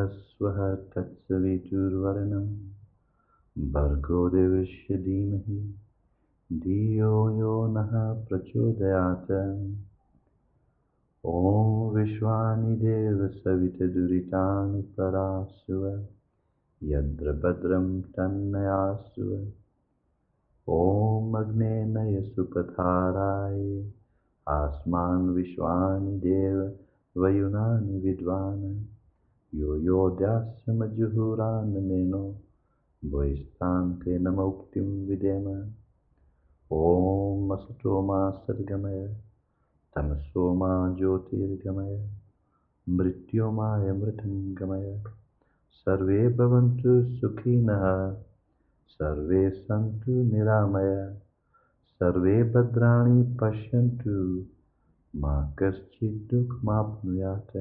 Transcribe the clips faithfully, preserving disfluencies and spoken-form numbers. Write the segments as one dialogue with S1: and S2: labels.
S1: भूर्भुवस्वः तत्सवितुर्वरेण्यं भर्गो देवस्य धीमहि धियो यो नः प्रचोदयात्। ॐ विश्वानि देव सवितुर्वरेण्यं परासुव यद्र भद्रं तन्नयासुव। ॐ अग्ने नय सुपथाराय आस्मान् विश्वानि देव वयुनानि विद्वान् यो यो दास्यमजुहुरान्मेनो वैस्तान्ते नमोक्तिं विदेम। ॐ असतो मा सद्गमय तमसो मा ज्योतिर्गमय मृत्योर्मामृतं गमय। सर्वे भवन्तु सुखिनः सर्वे सन्तु निरामया सर्वे भद्राणि पश्यन्तु मा कश्चित् दुःखमाप्नुयात्।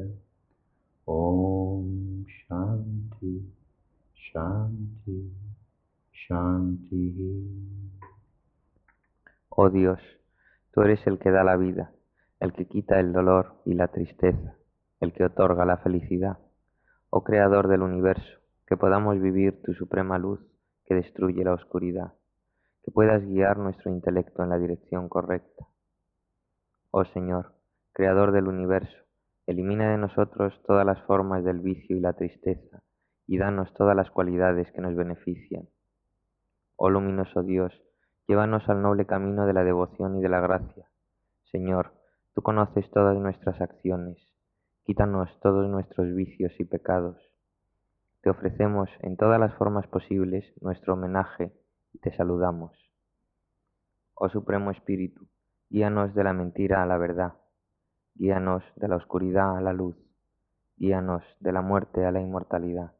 S1: ॐ शान्ति शान्ति शान्तिः।
S2: Oh Dios, tú eres el que da la vida, el que quita el dolor y la tristeza, el que otorga la felicidad. Oh Creador del universo, que podamos vivir tu suprema luz que destruye la oscuridad, que puedas guiar nuestro intelecto en la dirección correcta. Oh Señor, Creador del universo, elimina de nosotros todas las formas del vicio y la tristeza, y danos todas las cualidades que nos benefician. Oh luminoso Dios, llévanos al noble camino de la devoción y de la gracia. Señor, tú conoces todas nuestras acciones, quítanos todos nuestros vicios y pecados. Te ofrecemos en todas las formas posibles nuestro homenaje y te saludamos. Oh Supremo Espíritu, guíanos de la mentira a la verdad, guíanos de la oscuridad a la luz, guíanos de la muerte a la inmortalidad.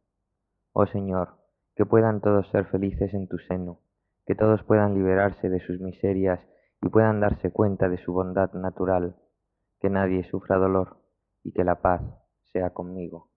S2: Oh Señor, que puedan todos ser felices en tu seno, que todos puedan liberarse de sus miserias y puedan darse cuenta de su bondad natural, que nadie sufra dolor y que la paz sea conmigo.